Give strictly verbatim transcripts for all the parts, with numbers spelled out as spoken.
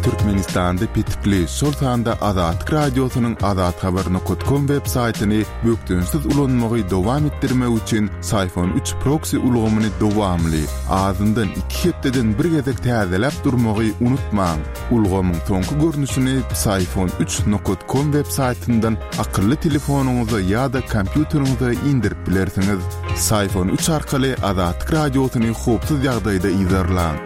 Türkmenistanda petikli, şol sanda Azatlyk Radiosynyň azathabar nokat kom web saýtyny bökdençsiz ulanmagy dowam etdirmek üçin Psiphon üç proksi ulgamyny dowamly, azyndan iki hepdeden bir gezek täzeläp durmagy unutmaň. Ulgamyň soňky görnüşini Psiphon üç nokat kom web saýtyndan akylly telefonyňyza ýa-da kompýuteriňize indirip bilersiňiz. Psiphon üç arkaly Azatlyk Radiosyny howpsuz ýagdaýda yzarlaň.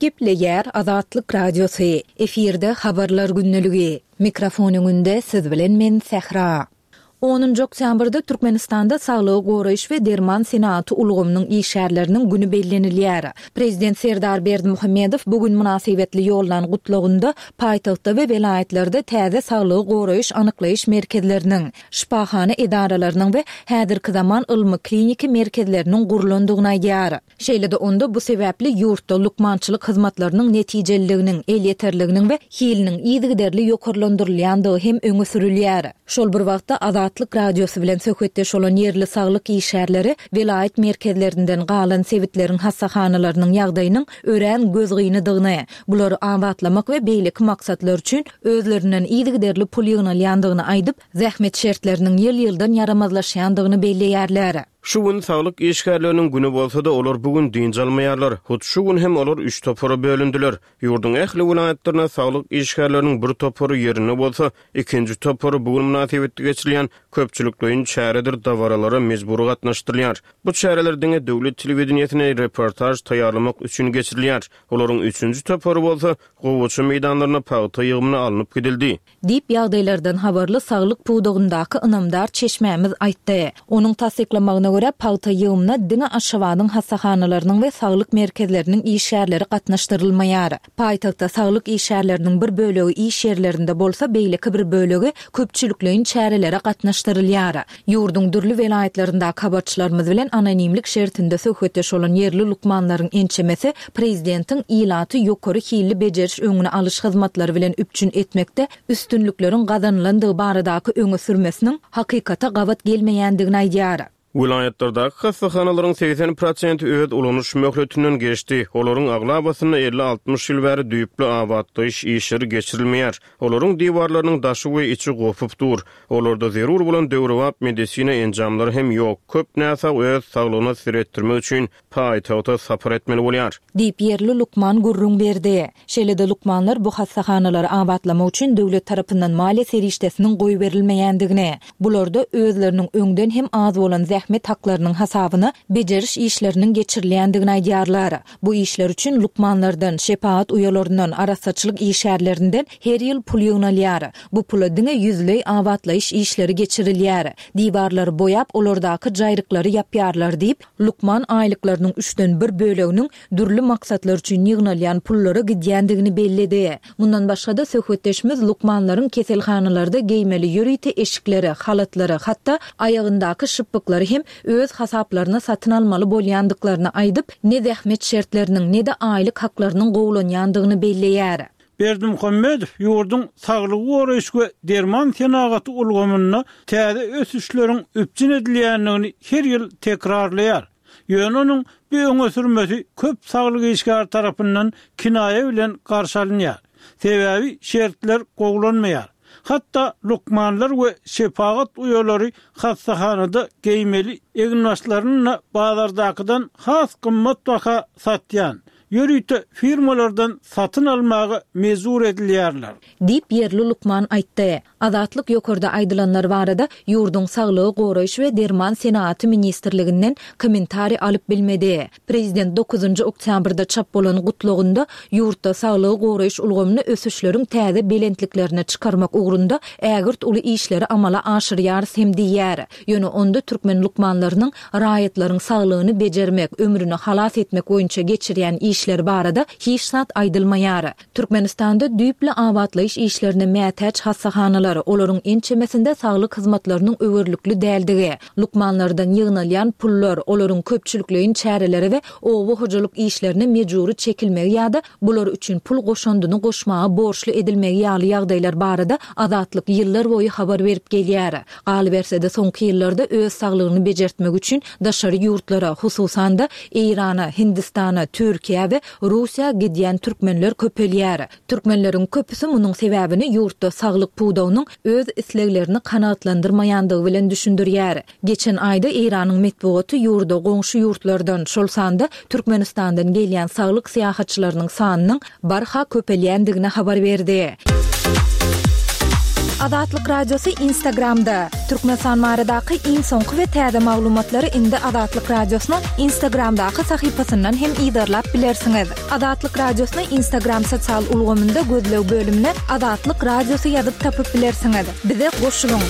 Gepleýär Azatlyk Radiosy. Efirde habarlar gündeligi. Mikrofon öňünde siz bilen men Sähra. Onunjy oktýabrda Türkmenistanda saglygy goraýyş we derman senagaty ulgamynyň işgärleriniň güni bellenilýär. Prezident Serdar Berdimuhamedow bu gün mynasybetli ýollan gutlagynda paýtagtda we welaýatlarda täze saglygy goraýyş anyklaýyş merkezleriniň, şypahana edaralarynyň we häzirki zaman ylmy-kliniki merkezleriniň gurlandygyny aýdýar. Şeýle-de onda bu sebäpli ýurtda lukmançylyk hyzmatlarynyň netijeliliginiň, elýeterliginiň we hiliniň yzygiderli ýokarlandyrylýandygy hem öňe sürülýär. Şol bir wagtda Azatlyk Radiosy bilen söhbetdeş bolan ýerli saglyk işgärleri welaýat merkezlerinden galan sebitleriň hassahanalarynyň ýagdaýynyň örän gözgynydygyny, bulary abatlamak we beýleki maksatlar üçin özlerinden yzygiderli pul ýygnalýandygyny aýdyp, zähmet şertleriniň ýyl-ýyldan ýaramazlaşýandygyny belleýärler. Şu gün saglyk işgärleriniň güni bolsa-da, olar bu gün dynç almaýarlar. Hut şu gün hem olar üç topara bölündiler. Ýurduň ähli welaýatlarynda saglyk işgärleriniň bir topary ýerinde bolsa, ikinji topary bu gün mynasybetli geçirilýän köpçülikleýin çäredir dabaralara mejbury gatnaşdyrylýar. Bu çäreler diňe döwlet telewideniýesine reportaž taýýarlamak üçin geçirilýär. Olaryň üçünji topary bolsa, gowaça meýdanlaryna pagta ýygymyna alnyp gidildi. Diýip, ýagdaýlardan habarly saglyk pudagyndaky ynamdar çeşmämiz aýtdy. Onuň tassyklamagyna görä, pagta ýygymyna diňe Aşgabadyň hassahanalarynyň we saglyk merkezleriniň işgärleri gatnaşdyrylmaýar. Paýtagtda saglyk işgärleriniň bir bölegi iş ýerlerinde bolsa, beýleki bir bölegi köpçülikleýin çärelere gatnaşdyrylýar. Ýurduň dürli welaýatlaryndaky habarçylarymyz bilen anonimlik şertinde söhbetdeş bolan ýerli lukmanlaryň ençemesi prezidentiň ilaty ýokary hilli bejeriş-öňüni alyş hyzmatlary bilen üpjün etmekde üstünlikleriň gazanylandygy baradaky öňe sürmesiniň hakykata gabat gelmeýändigini aýdýar. Welaýatlardaky hassahanalaryň segsen prosenti öz ulanyş möhletinden geçdi. Olaryň aglabasynda elli-altmyş ýyl bäri düýpli abatlaýyş işleri geçirilmeýär. Olaryň diwarlarynyň daşy we içi gopup dur. Olarda zerur bolan döwrebap medisina enjamlary hem ýok. Köp näsag öz saglygyna seretdirmek üçin paýtagta sapar etmeli bolýar. Diýip, ýerli lukman gürrüň berdi. Şeýle-de lukmanlar bu hassahanalary abatlamak üçin döwlet tarapyndan maliýe serişdesiniň goýberilmeýändigini, bularda özleriniň öňden hem az bolan zähmet haklarynyň hasabyna bejeriş işleriniň geçirilýändigini aýdýarlar. Bu işler üçin lukmanlardan, şepagat uýalaryndan, arassaçylyk işgärlerinden her ýyl pul ýygnalýar. Bu pula diňe ýüzleý abatlaýyş işleri geçirilýär. Diwarlary boýap, olardaky jaýryklary ýapýarlar diýip, lukman aýlyklarynyň üçden bir böleginiň dürli maksatlar üçin ýygnalýan pullara gidýändigini belledi. Mundan başga-da, söhbetdeşimiz lukmanlaryň keselhanalarda geýmeli ýörite eşikleri, halatlary, hatda aýagyndaky şypbyklary hem öz hasaplaryna satyn almaly bolýandyklaryny aýdyp, ne zähmet şertleriniň, ne-de aýlyk haklarynyň gowulanýandygyny belleýär. Berdimuhamedow ýurduň saglygy goraýyş we derman senagaty ulgamynda täze ösüşleriň üpjün edilýändigini her ýyl tekrarlaýar. Ýöne onuň bu öňe sürmesi köp saglyk işgäri tarapyndan kinaýa bilen garşy alynýar. Sebäbi şertler gowulanmaýar. Hatda lukmanlar we şepagat uýalary hassahanada geýmeli eginbaşlaryny-da bazardakydan has gymmat baha satýan, ýörite firmalardan satyn almaga mejbur edilýärler. Diýip, ýerli lukman aýtdy. Azatlyk ýokarda aýdylanlar barada ýurduň Saglygy goraýyş we derman senagaty ministrliginden kommentariý alyp bilmedi. Prezident dokuzynjy oktýabrda çap bolan gutlagynda ýurtda saglygy goraýyş ulgamyny ösüşleriň täze belentliklerine çykarmak ugrunda ägirt uly işleri amala aşyrýarys hem diýýär. Ýöne onda türkmen lukmanlarynyň raýatlaryň saglygyny bejermek, ömrüni halas etmek boýunça geçirýän işleri barada hiç zat aýdylmaýar. Türkmenistanda düýpli abatlaýyş işlerine mätäç hassahanalar, olaryň ençemesinde saglyk hyzmatlarynyň öwerlikli däldigi, lukmanlardan ýygnalýan pullar, olaryň köpçülikleýin çärelere we oba hojalyk işlerine mejbury çekilmegi ýa-da bular üçin pul goşandyny goşmaga borçly edilmegi ýaly ýagdaýlar barada Azatlyk ýyllar boýy habar berip gelýär. Galyberse-de, soňky ýyllarda öz saglygyny bejertmek üçin daşary ýurtlara, hususan-da, Eýrana, Hindistana, Türkiýä we we Russiýa gidýän türkmenler köpelýär. Türkmenleriň köpüsi munuň sebäbini ýurtda saglyk pudagynyň öz isleglerini kanagatlandyrmaýandygy bilen düşündirýär. Geçen aýda Eýranyň metbugaty ýurda goňşy ýurtlardan, şol sanda Türkmenistandan gelýän saglyk syýahatçylarynyň sanynyň barha köpelýändigini habar berdi. Azatlyk Radiosy Instagramda. Türkmenistan baradaky iň soňky we täze maglumatlary indi Azatlyk Radiosynyň Instagramdaky sahypasyndan hem yzarlap bilersiňiz. Azatlyk Radiosyny Instagram sosial ulgamynda gözleg bölümine Azatlyk Radiosy ýazyp tapyp bilersiňiz. Bize goşulyň!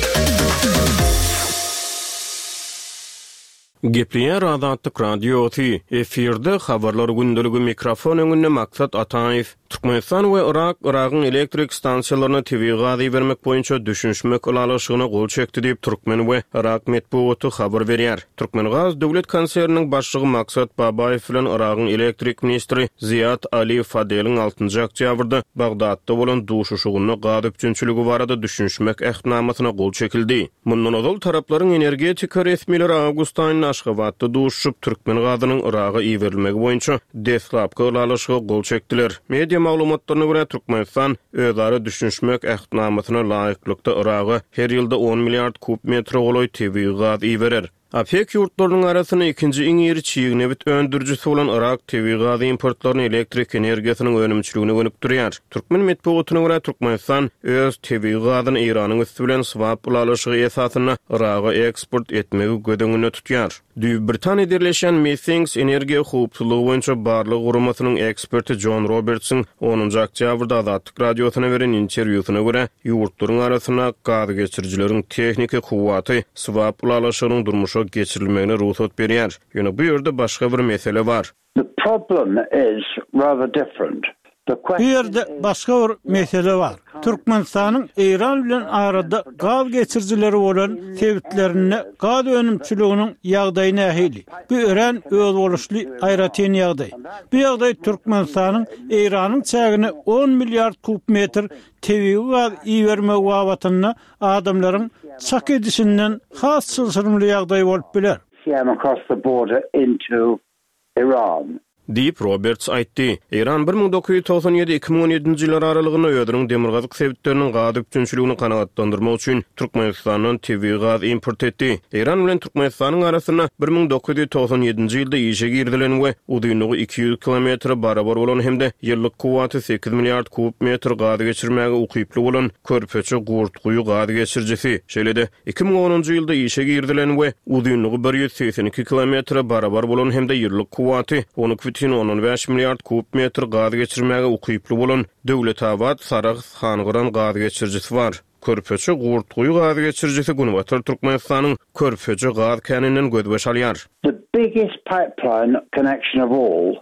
Gepleýär Azatlyk Radiosy, efirde Habarlar gündeligi mikrofon öňünde Maksat Ataýew. Türkmenistan we Yrak Yragyň elektrik stansiýalaryna tebigy gaz ibermek boýunça düşünişmek ylalaşygyna gol çekdi diýip, türkmen we yrak metbugaty habar berýär. Türkmengaz döwlet konserniniň başlygy Maksat Babaýew bilen Yragyň elektrik ministri Ziýad Ali Fadeliň altynjy oktýabrda Bagdatda bolan duşuşygynda gaz üpjünçiligi barada düşünişmek ähtnamasyna gol çekildi. Mundan ozal taraplaryň energetika resmileri awgust aýynda Aşgabatda duşuşyp, türkmen gazynyň Yraga iberilmegi boýunça deslapky ylalaşyga gol çekdiler. Media maglumatlaryna görä, Türkmenistan özara düşünişmek ähtnamasyna laýyklykda Yraga her ýylda on milliard kub metre golaý tebigy gaz iberer. OPEK ýurtlarynyň arasynda ikinji iň iri çig nebit öndürijisi bolan Yrak tebigy gaz importlaryny elektrik energiýasynyň önümçiligine gönükdirýär. Türkmen metbugatyna görä, Türkmenistan öz tebigy gazyny Eýranyň üsti bilen swap ylalaşygy esasynda Yraga eksport etmegi göz öňünde tutýar. Düýbi Britaniýada ýerleşýän Methings energiýa howpsuzlygy boýunça barlag guramasynyň eksperti Jon Robertsiň onunjy oktýabrda Azatlyk Radiosyna beren interwýusyna görä, ýurtlaryň arasynda gazgeçirijileriň tehniki kuwwaty swap ylalaşygynyň durmuşa geçirilmegine rugsat berýär. Ýöne bu ýerde başga bir mesele bar. The problem is rather different. Bu ýerde başga bir mesele bar. Türkmenistanyň Eýran bilen arada gaz geçirijileri bolan sebitlerinde gaz önümçiliginiň ýagdaýy nähili? Bu örän özboluşly aýratyn ýagdaý. Bu ýagdaý Türkmenistanyň Eýranyň çägine on milliard kub metr tebigy gaz ibermegi babatynda adamlaryň çak edişinden has çylşyrymly ýagdaý bolup biler. CM across the border into Iran. Diýip, Roberts aýtdy. Eýran bir müň dokuz ýüz togsan ýedi, iki müň on ýedinji ýyllar aralygynda özüniň demirgazyk sebitleriniň gaz üpjünçiligini kanagatlandyrmak üçin Türkmenistandan tebigy gaz import etdi. Eýran bilen Türkmenistanyň arasynda bir müň dokuz ýüz togsan ýedinji ýylda işe girizilen we uzynlygy iki ýüz kilometre barabar bolan hem-de ýyllyk kuwwaty sekiz milliard kub metr gaz geçirmäge ukyply bolan Körpeçe Gurtguýy gaz geçirijisi, şeýle-de Iki müň onunjy ýylda işe girizilen we uzynlygy bir ýüz segsen iki kilometre barabar bolan hem-de ýyllyk kuwwaty on iki bütin ondan bäş milliard kub metr gaz geçirmäge ukyply bolan Döwletabat, Sarahs, Hangyran gaz geçirijisi bar. Körpeçe Gurtguýy gaz geçirijisi Günbatar Türkmenistanyň Körpeje gaz käninden gözbaş alýar. The biggest pipeline connection of all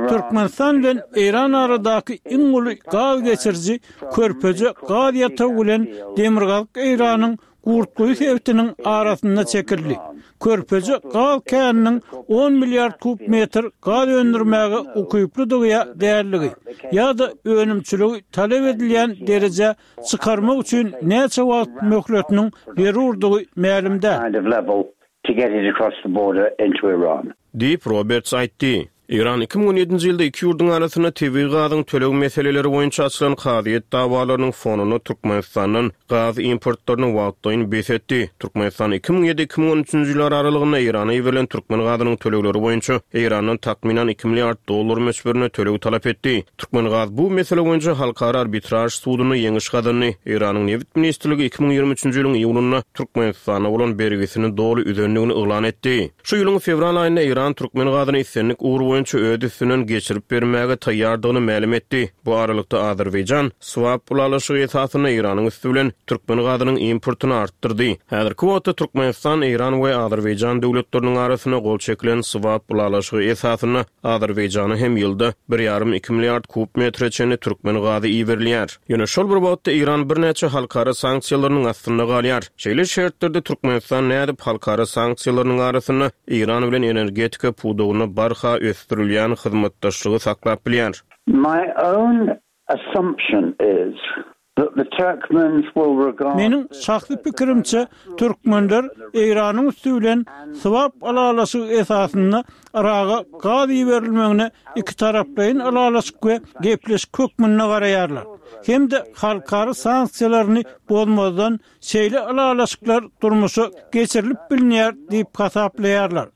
Türkmenistan bilen Eýran aradaky iň uly gaz geçiriji Körpeje gaz ýatagy bilen Demirgazyk Eýranyň Gurtguýy sebitiniň arasynda çekildi. Körpeje gaz käniniň on milliard kub metr gaz öndürmäge ukyplydygy ýa däldigi, ýa-da önümçiligi talap edilýän derejä çykarmak üçin näçe wagt möhletiniň zerurdygy mälim däl. to get it across the border into Iran. Diýip, Roberts aýtdy. Eýran iki müň on ýedinji ýylda iki ýurduň arasynda tebigy gazyň töleg meseleleri boýunça açylan kazyýet dawalarynyň fonunda Türkmenistandan gaz importlaryny wagtlaýyn bes etdi. Türkmenistan iki müň ýedi-iki müň on üçünji ýyllar aralygynda Eýrana iberilen türkmen gazynyň tölegleri boýunça Eýrandan takmynan iki milliard dollar möçberinde töleg talap etdi. Türkmengaz bu mesele boýunça Halkara arbitraž sudunda ýeňiş gazandy. Eýranyň Nebit ministrligi iki müň ýigrimi üçünji ýylyň iýulynda Türkmenistana bolan bergisini doly üzendigini yglan etdi. Şu ýylyň fewral aýynda Eýran türkmen gazyny islendik ugur boýunça öz üstünden geçirip bermäge taýýardygyny mälim etdi. Bu aralykda Azerbaýjan swap ylalaşygy esasynda Eýranyň üsti bilen türkmen gazynyň importyny artdyrdy. Häzirki wagtda Türkmenistan, Eýran we Azerbaýjan döwletleriniň arasynda gol çekilen swap ylalaşygy esasynda Azerbaýjana hem ýylda bir ýarym-iki milliard kub metre çenli türkmen gazy iberilýär. Ýöne şol bir wagtda Eýran birnäçe halkara sanksiýalarynyň astynda galýar. Şeýle şertlerde Türkmenistan nädip halkara sanksiýalarynyň arasynda Eýran bilen energetika pudagynda barha ösdürilýän hyzmatdaşlygy saklap bilýär? My own assumption is Meniň şahsy pikirimçe, türkmenler Eýranyň üsti bilen swap ylalaşygy esasynda Yraga gaz iberilmegine ikitaraplaýyn ylalaşyk we gepleşik hökmünde garaýarlar. Hem-de halkara sanksiýalaryny bozmazdan şeýle ylalaşyklar durmuşa geçirilip bilinýär diýip hasaplaýarlar.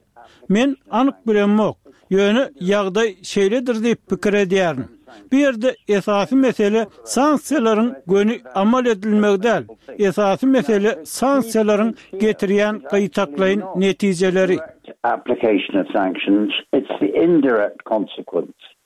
Men anyk bilemok, ýöne ýagdaý şeýledir diýip pikir edýärin. Bu ýerde esasy mesele sanksiýalaryň göni amal edilmegi däl, esasy mesele sanksiýalaryň getirýän gytaklaýyn netijeleri.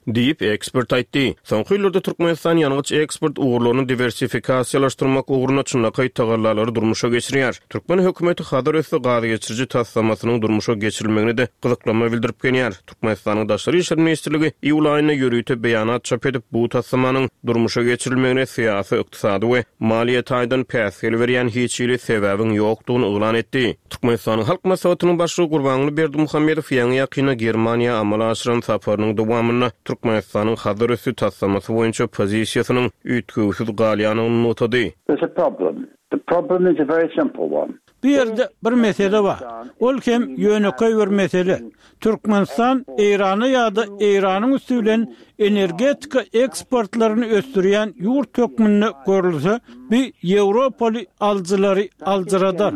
Diýip, ekspert aýtdy. Soňky ýyllarda Türkmenistan ýangyç eksport ugurlaryny diwersifikasiýalaşdyrmak ugrunda çynlakaý tagallalary durmuşa geçirýär. Türkmen hökümeti Hazar üsti gazgeçiriji taslamasynyň durmuşa geçirilmegine-de gyzyklanma bildirip gelýär. Türkmenistanyň Daşary işler ministrligi iýul aýynda ýörite beýanat çap edip, bu taslamanyň durmuşa geçirilmegine syýasy, ykdysady we maliýe taýdan päsgel berýän hiç hili sebäbiň ýokdugyny yglan etdi. Türkmenistanyň Halk Maslahatynyň Başlygy Gurbanguly Berdimuhamedow ýaňy-ýakynda Germaniýa amala aşyran saparynyň dowamynda Türkmenistanyň Hazar üsti taslamasy boýunça pozisiýasynyň üýtgewsiz galýandygyny nygtady. There's a problem. The problem is a very simple one. Bu ýerde bir mesele bar. Ol hem ýönekeý bir mesele. Türkmenistan Eýrana ýa-da Eýranyň üsti bilen energetika eksportlaryny ösdürýän ýurt hökmünde görülse, bu ýewropaly alyjylary aljyradar.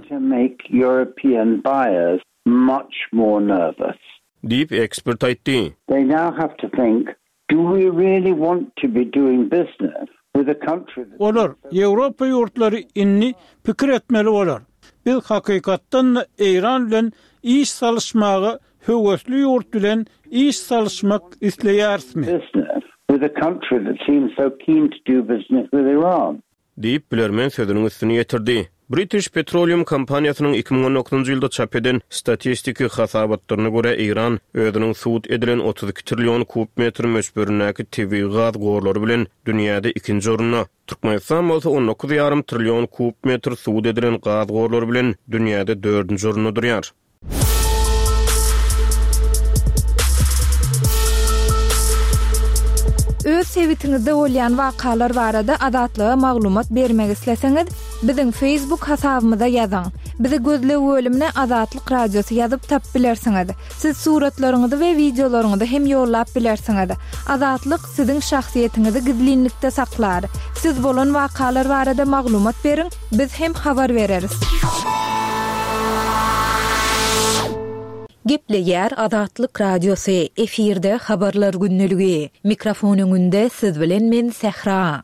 Diýip, ekspert aýtdy. They now have to think, Do we really want to be doing business with a country that. Olar, Ýewropa ýurtlary indi pikir etmeli bolar. Biz hakykatdan-da Eýran bilen iş salyşmaga höwesli ýurt bilen iş salyşmak isleýärismi? Business with a country that seems so keen to do business with Iran. Diýip, bilermen sözüniň üstüni ýetirdi. British Petroleum kompaniýasynyň iki müň on dokuzynjy ýylda çap eden statistiki hasabatlaryna görä, Eýran özüniň subut edilen otuz iki trillion kub metr möçberindäki tebigy gaz gorlary bilen dünýäde ikinji orunda, Türkmenistan bolsa on dokuz ýarym trillion kub metr subut edilen gaz gorlary bilen dünýäde dördünji orunda durýar. Öz sebitiňizde bolýan wakalar barada Azatlyga maglumat bermek isleseňiz, biziň Facebook hasabymyza ýazyň. Bizi gözleg bölümine Azatlyk Radiosy ýazyp tapyp bilersiňiz. Siz suratlaryňyzy we wideolaryňyzy hem ýollap bilersiňiz. Azatlyk siziň şahsyýetiňizi gizlinlikde saklar. Siz bolan wakalar barada maglumat beriň, biz hem habar bereris. Gepleýär Azatlyk Radiosy, efirde Habarlar gündeligi. Mikrofon öňünde siz bilen men Sähra.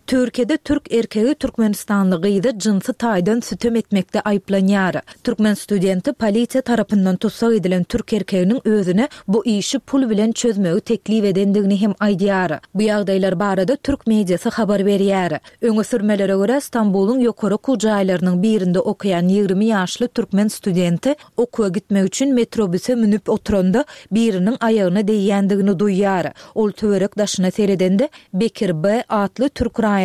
Türkiýede türk erkegi türkmenistanly gyzy jynsy taýdan sütem etmekde aýyplanýar. Türkmen studenti polisiýa tarapyndan tussag edilen türk erkeginiň özüne bu işi pul bilen çözmegi teklip edendigini hem aýdýar. Bu ýagdaýlar barada türk mediasy habar berýär. Öňe sürmelere görä, Stambulyň ýokary okuw jaýlarynyň birinde okaýan ýigrimi ýaşly türkmen studenti okuwa gitmek üçin metrobüse münüp oturanda biriniň aýagyna degýändigini duýýar. Ol töwerek daşyna seredende Bekir B. atly türk raýatynyň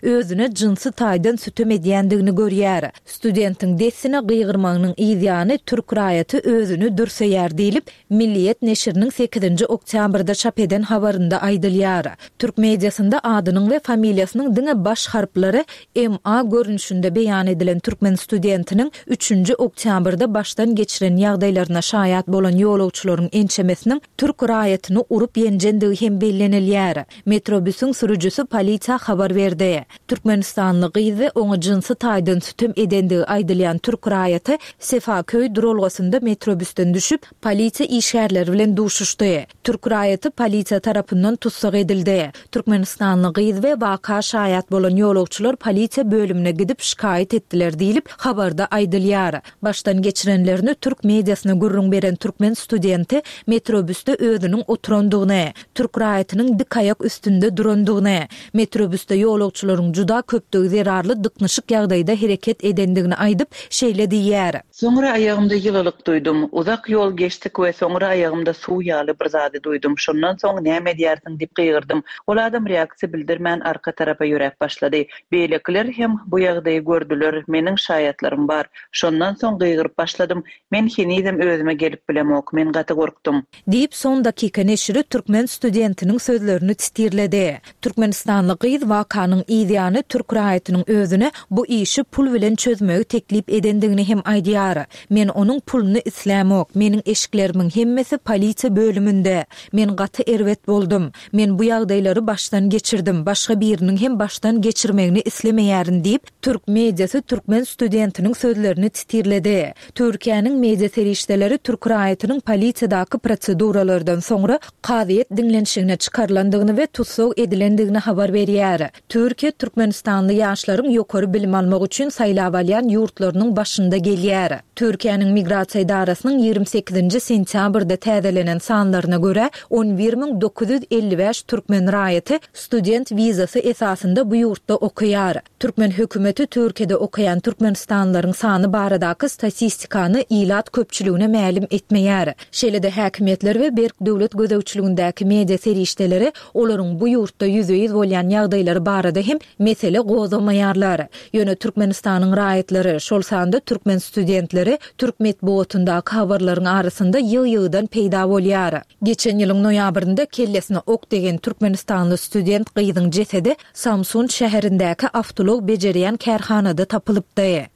özüne jynsy taýdan sütem edýändigini görýär. Studentiň dessine gygyrmagynyň yz ýany türk raýaty özüni dürseýär diýlip, Milliýet neşiriniň sekizinji oktýabrda çap eden habarynda aýdylýar. Türk mediasynda adynyň we familiýasynyň diňe baş harplary M A görnüşinde beýan edilen türkmen studentiniň üçünji oktýabrda başdan geçiren ýagdaýlaryna şaýat bolan ýolagçylaryň ençemesiniň türk raýatyny urup ýenjendigi hem bellenilýär. Metrobüsüň sürüjisi polisiýa habar berdi. Türkmenistanly gyz we oňa jynsy taýdan sütem edendigi aýdylýan türk raýaty Sefaköý duralgasynda metrobüsden düşüp, polisiýa işgärleri bilen duşuşdy. Türk raýaty polisiýa tarapyndan tussag edildi. Türkmenistanly gyz we waka şaýat bolan ýolagçylar polisiýa bölümine gidip şikaýat etdiler diýlip, habarda aýdylýar. Başdan geçirenlerini türk mediasyna gürrüň beren türkmen studenti metrobüsde özüniň oturandygyny, türk raýatynyň dik aýak üstünde durandygyny, metrobüsde ýolagçylaryň juda köpdügi zerarly dyknyşyk ýagdaýda hereket edendigini aýdyp, şeýle diýýär. Soňra aýagymda ýylylyk duýdum. Uzak ýol geçdik we soňra aýagymda suw ýaly bir zady duýdum. Şondan soň näme edýärsiň diýip gygyrdym. Ol adam reaksiýa bildirmän arka tarapa ýöräp başlady. Beýlekiler hem bu ýagdaýy gördüler, meniň şaýatlarym bar. Şondan soň gygyryp başladym. Men henizem özüme gelip bilemok, men gaty gorkdum. Diýip, Son dakika neşiri türkmen studentiniň sözlerini titirledi. Türkmenistanly gyz waka Wakanyň yzýany türk raýatynyň özüne bu işi pul bilen çözmegi teklip edendigini hem aýdýar. Men onuň puluny islämok, meniň eşiklerimiň hemmesi polisiýa bölüminde. Men gaty erbet boldum. Men bu ýagdaýlary başdan geçirdim, başga biriniň hem başdan geçirmegini islemeýärin diýip, türk mediasy türkmen studentiniň sözlerini sitirledi. Türkiýäniň media serişdeleri türk raýatynyň polisiýadaky proseduralardan soňra kazyýet diňlenişigine çykarylandygyny we tussag edilendigini habar berýär. Türkiýe Türkmenistanly ýaşlaryň ýokary bilim almak üçin saýlap alýan ýurtlarynyň başynda gelýär. Türkiýäniň migrasiýa edarasynyň ýigrimi sekizinji sentýabrda täzelenen sanlaryna görä, on bir müň dokuz ýüz elli bäş türkmen raýaty student wizasy esasynda bu ýurtda okaýar. Türkmen hökümeti Türkiýede okaýan Türkmenistanlylaryň sany baradaky statistikany ilat köpçüligine mälim etmeýär. Şeýle-de häkimiýetler we berk döwlet gözegçiligindäki media serişdeleri olaryň bu ýurtda ýüzbe-ýüz bolýan ýagdaýlary barada hem mesele gozgamaýarlar. Ýöne Türkmenistanyň raýatlary, şol sanda türkmen studentleri türk metbugatyndaky habarlaryň arasynda ýygy-ýygydan peýda bolýar. Geçen ýylyň noýabrynda kellesine ok degen Türkmenistanly student gyzyň jesedi Samsun şäherindäki awtoulag bejerýän kärhanada tapylypdy.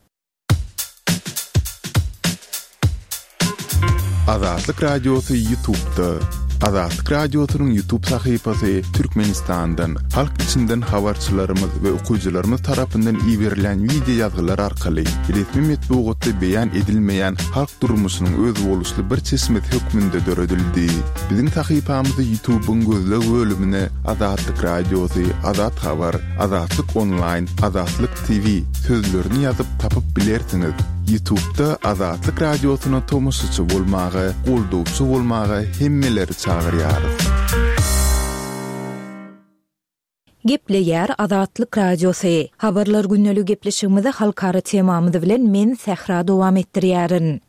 Azatlyk Radiosy YouTube'da. Azatlyk Radiosynyň YouTube sahypasy Türkmenistandan, halk içinden habarçylarymyz we okyjylarymyz tarapyndan iberilen video ýazgylar arkaly resmi metbugatda beýan edilmeýän halk durmuşynyň özboluşly bir çeşmesi hökmünde döredildi. Biziň sahypamyzy YouTube'yň gözleg bölümine Azatlyk Radiosy, Azat Habar, Azatlyk Online, Azatlyk T V sözlerini ýazyp tapyp bilersiňiz. YouTube'da Azatlyk Radiosyna tomaşaçy bolmaga, goldawçy bolmaga hemmeleri çagyrýarys. Gepleýär Azatlyk Radiosy. Habarlar gündelik gepleşigimizi halkara temamyz bilen men Sähra dowam etdirýärin.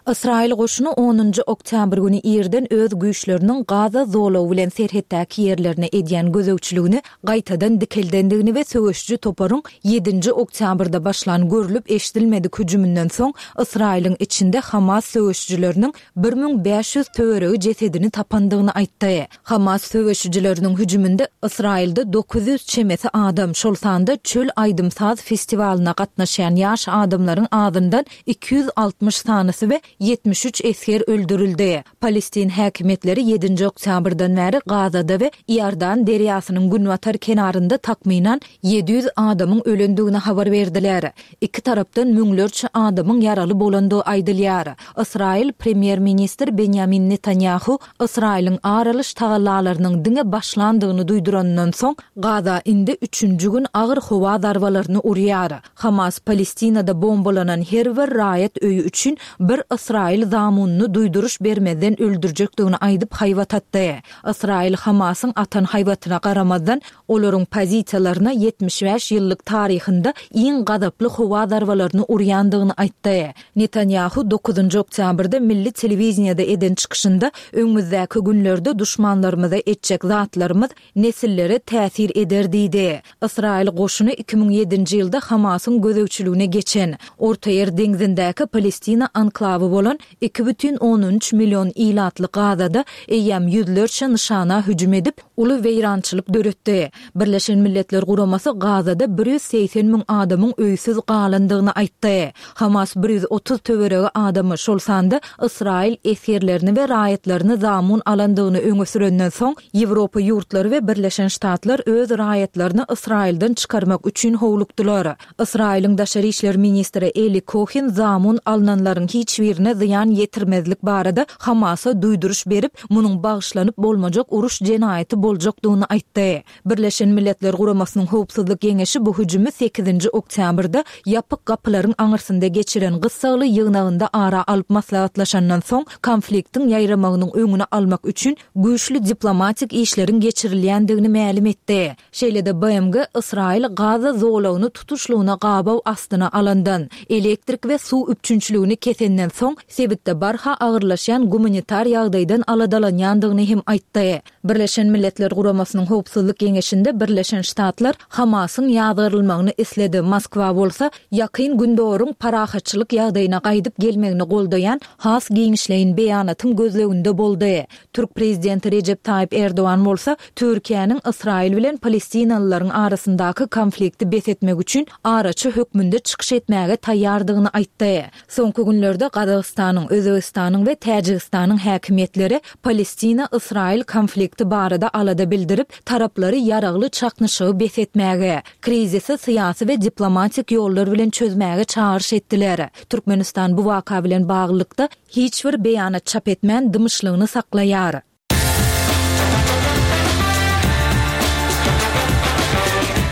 Ysraýyl goşuny onunjy oktýabr güni irden öz güýçleriniň Gaza zolagy bilen serhetdäki ýerlerine edýän gözegçiligini gaýtadan dikeldendigini we söweşiji toparyň ýedinji oktýabrda başlan görlüp eşidilmedik hüjüminden soň Ysraýylyň içinde Hamas söweşijileriniň bir müň bäş ýüz töweregi jesedini tapandygyny aýtdy. Hamas söweşijileriniň hüjüminde Ysraýylda dokuz ýüz çemesi adam, şol sanda çöl aýdym-saz festiwalyna gatnaşýan ýaş adamlaryň azyndan iki ýüz altmyş sanysy we ýetmiş üç esger öldürildi. Palestin häkimiýetleri ýedinji oktýabrdan bäri Gazada we Iordan derýasynyň günbatar kenarynda takmynan ýedi ýüz adamyň ölendigini habar berdiler. Iki tarapdan müňlerçe adamyň ýaraly bolandygy aýdylýar. Ysraýyl premýer-ministr Benjamin Netanyahu Ysraýylyň aralyş tagallalarynyň diňe başlandygyny duýdurandan soň Gaza indi üçünji gün agyr howa zarbalaryny urýar. Hamas Palestinada bombalanan her bir raýat öýi üçin bir Ysraýyl zamunyny duýduryş bermezden öldürjekdigini aýdyp haýbat atdy. Ysraýyl Hamasyň atan haýbatyna garamazdan olaryň pozisiýalaryna ýetmiş bäş ýyllyk taryhynda iň gazaply howa zarbalaryny urýandygyny aýtdy. Netanyahu dokuzynjy oktýabrda milli telewiziýada eden çykyşynda öňümizdäki günlerde duşmanlarymyza etjek zatlarymyz nesillere täsir eder diýdi. Ysraýyl goşuny iki müň ýedinji ýylda Hamasyň gözegçiligine geçen Ortaýer deňzindäki Palestina anklawy bolan iki bütin ondan üç million ilatly Gazada eýýäm ýüzlerçe nyşana hüjüm edip, uly weýrançylyk döretdi. Birleşen Milletler Guramasy Gazada bir ýüz segsen müň adamyň öýsüz galandygyny aýtdy. Hamas bir ýüz otuz töweregi adamy, şol sanda Ysraýyl esgerlerini we raýatlaryny zamun alandygyny öňe sürenden soň, Ýewropa ýurtlary we Birleşen Ştatlar öz raýatlaryny Ysraýyldan çykarmak üçin howlukdylar. Ysraýylyň daşary işler ministri Eli Kohen zamun alynanlaryň hiç birine zyýan ýetirmezlik barada Hamasa duýduryş berip, munuň bagyşlanyp bolmajak uruş jenaýaty boljakdygyny aýtdy. Birleşen Milletler Guramasynyň Howpsuzlyk Geňeşi bu hüjümi sekizinji oktýabrda ýapyk gapylaryň aňyrsynda geçiren gyssagly ýygnagynda ara alyp maslahatlaşandan soň konfliktiň ýaýramagynyň öňüni almak üçin güýçli diplomatik işleriň geçirilýändigini mälim etdi. Şeýle-de B M G Ysraýyl Gaza zolagyny tutuşlygyna gabaw astyna alandan, elektrik we suw üpjünçiligini kesenden soň soň sebitde barha agyrlaşýan gumanitar ýagdaýdan aladalanýandygyny hem aýtdy. Birleşen Milletler Guramasynyň Howpsuzlyk Geňeşinde Birleşen Ştatlar Hamasyň ýazgarylmagyny isledi. Moskwa bolsa Ýakyn Gündogaryň parahatçylyk ýagdaýyna gaýdyp gelmegini goldaýan has giňişleýin beýanatyň gözleginde boldy. Türk prezidenti Rejep Taýyp Erdogan bolsa Türkiýäniň Ysraýyl bilen palestinalylaryň arasyndaky konflikti bes etmek üçin araçy hökmünde çykyş etmäge taýýardygyny aýtdy. Soňky günlerde Gazagystanyň, Özbegistanyň we Täjigistanyň häkimiýetleri Palestina-Ysraýyl konflikti barada alada bildirip, taraplary ýaragly çaknyşygy bes etmäge, krizisi syýasy we diplomatik ýollar bilen çözmäge çagyryş etdiler. Türkmenistan bu waka bilen baglylykda hiç bir beýanat çap etmän dymyşlygyny saklaýar.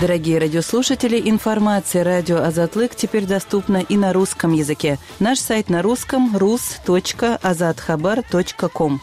Дорогие радиослушатели, информация радио Азатлык теперь доступна и на русском языке. Наш сайт на русском rus.azathabar.com.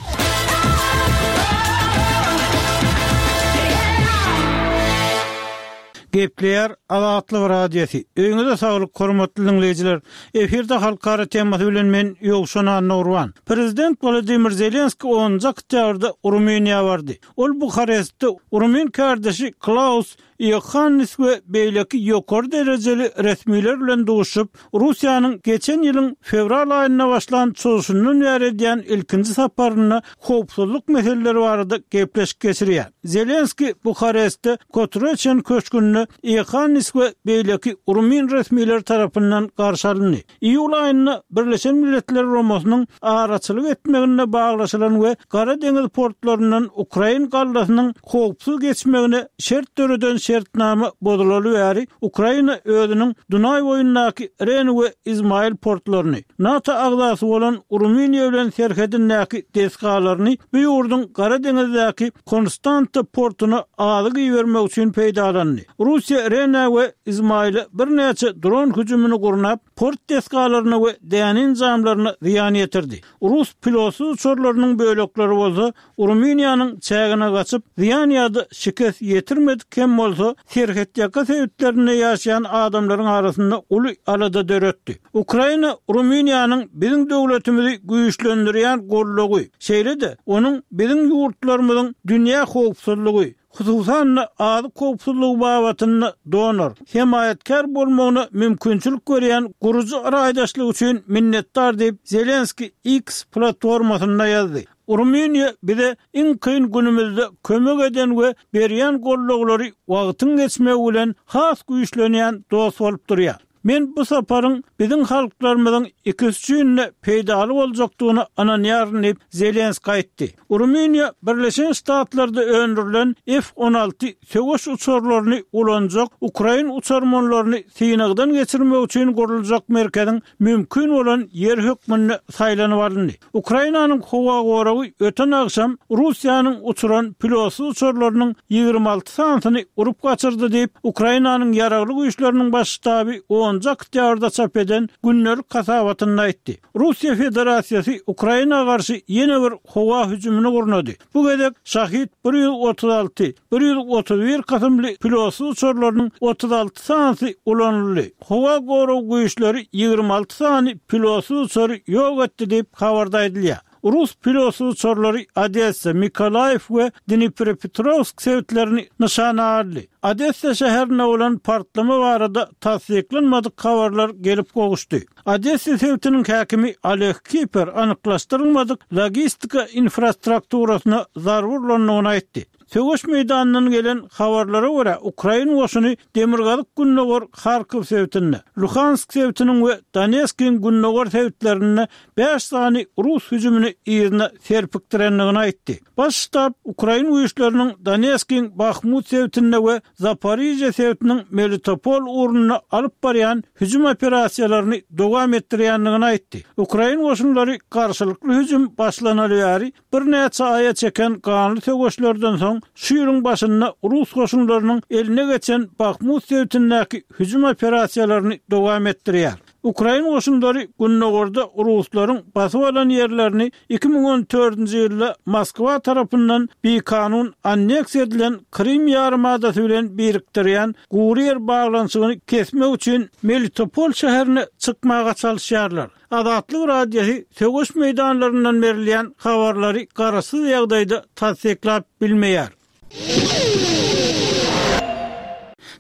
Gepleýär Azatlyk Radiosy. Öýüňize saglyk, hormatly diňleýjiler. Efirde halkara temasy bilen men Ýowşan Annagurban. Prezident Wladimir Zelenski onunjy oktýabrda Rumyniýa bardy. Ol Buharestde rumyn kärdeşi Klaus Iohannis we beýleki ýokary derejeli resmiler bilen duşup, Russiýanyň geçen ýylyň fewral aýynda başlan çozuşyndan bäri edýän ilkinji saparynda howpsuzlyk meseleleri barada gepleşik geçirýär. Zelenski Buharestde Kotroçen köşgünde Iohannis we beýleki rumyn resmileri tarapyndan garşy alyndy. Iýul aýynda Birleşen Milletler Guramasynyň araçylyk etmeginde baglaşylan we Gara deňiz portlaryndan Ukrain gallasynyň howpsuz geçmegine şert döreden şertnama bozulaly bäri Ukraina özüniň Dunaý boýundaky Ren we Izmail portlaryny, NATO agzasy bolan Rumyniýa bilen serhedindäki desgalaryny bu ýurduň Gara deňizdäki Konstanta portuna azyk ibermek üçin peýdalandy. Russiýa Rene we Izmaile birnäçe dron hüjümini gurnap, port desgalaryna we däne enjamlaryna zyýan ýetirdi. Rus pilotsyz uçarlarynyň bölekleri bolsa Rumyniýanyň çägine gaçyp, zyýan ýa-da şikes ýetirmedik hem bolsa, serhetýaka sebitlerinde ýaşaýan adamlaryň arasynda uly alada döretdi. Ukraina Rumyniýanyň biziň döwletimizi güýçlendirýän goldawy, şeýle-de onuň biziň ýurtlarymyzyň dünýä howpsuzlygy, hususan-da azyk howpsuzlygy babatynda donor, hemaýatkär bolmagyna mümkinçilik berýän gurujy raýdaşlyk üçin minnetdar diýip, Zelenski X platformasynda ýazdy. Rumyniýa bize iň kyn günümizde kömek eden we berýän goldawlary wagtyň geçmegi bilen has güýçlenýän dost bolup durýar. Men bu saparyň biziň halklarymyzyň ikisi üçin-de peýdaly boljakdygyna ynanýaryn diýip, Zelenski aýtdy. Rumyniýa Birleşen Ştatlarda öndürilen F on alty söweş uçarlaryny ulanjak ukrain uçarmanlaryny synagdan geçirmek üçin guruljak merkeziň mümkin bolan ýeri hökmünde saýlanyp alyndy. Ukrainanyň howa goragy öten agşam Russiýanyň uçuran pilotsyz uçarlarynyň ýigrimi alty sanysyny urup gaçyrdy diýip, Ukrainanyň ýaragly güýçleriniň baş ştaby onunjy oktýabrda çap eden gündelik hasabatynda aýtdy. Russiýa Federasiýasy Ukraina garşy ýene bir howa hüjümini gurnady. Bu gezek Şahid bir ýüz otuz alty, bir ýüz otuz bir kysymly pilotsyz uçarlarynyň otuz alty sanysy ulanyldy. Howa gorag güýçleri ýigrimi alty sany pilotsyz uçary ýok etdi diýip habarda aýdylýar. Rus pilotsyz uçarlary Odessa, Mikolaýew we Dniprepetrowsk sebitlerini nyşana aldy. Odessa şäherinde bolan partlama barada tassyklanmadyk habarlar gelip gowuşdy. Odessa sebitiniň häkimi Oleg Kiper anyklaşdyrylmadyk logistika infrastrukturasyna zarba urlandygyny aýtdy. Söweş meýdanyndan gelen habarlara görä, Ukrain goşuny Demirgazyk Gündogar Harkow sebitinde, Luhansk sebitiniň we Donetskiň gündogar sebitlerinde bäş sany rus hüjümini yzyna serpikdirendigini aýtdy. Baş ştab ukrain güýçleriniň Donetskiň Bahmut sebitinde we Zaporižýa sebitiniň Melitopol ugrunda alyp barýan hüjüm operasiýalaryny dowam etdirýändigini aýtdy. Ukrain goşunlary garşylykly hüjüm başlanaly bäri birnäçe aýa çeken ganly söweşlerden soň şu ýylyň başynda rus goşunlarynyň eline geçen Bahmut sebitindäki hüjüm operasiýalaryny dowam etdirýär. Ukrain goşunlary gündogarda ruslaryň basyp alan ýerlerini iki müň on dördünji ýylda Moskwa tarapyndan bikanun anneksiýa edilen Krym ýarymadasy bilen birikdirýän gury ýer baglanyşygyny kesmek üçin Melitopol şäherine çykmaga çalyşýarlar. Azatlyk Radiosy söweş meýdanlaryndan berilýän habarlary garaşsyz ýagdaýda tassyklap bilmeýär.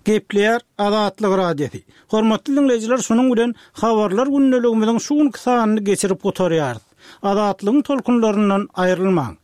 Gepleýär Azatlyk Radiosy. Hormatly diňleýjiler şunuň bilen Habarlar gündeligimiziň şu günki sanyny geçirip gutarýarys. Azatlygyň tolkunlaryndan aýrylmaň.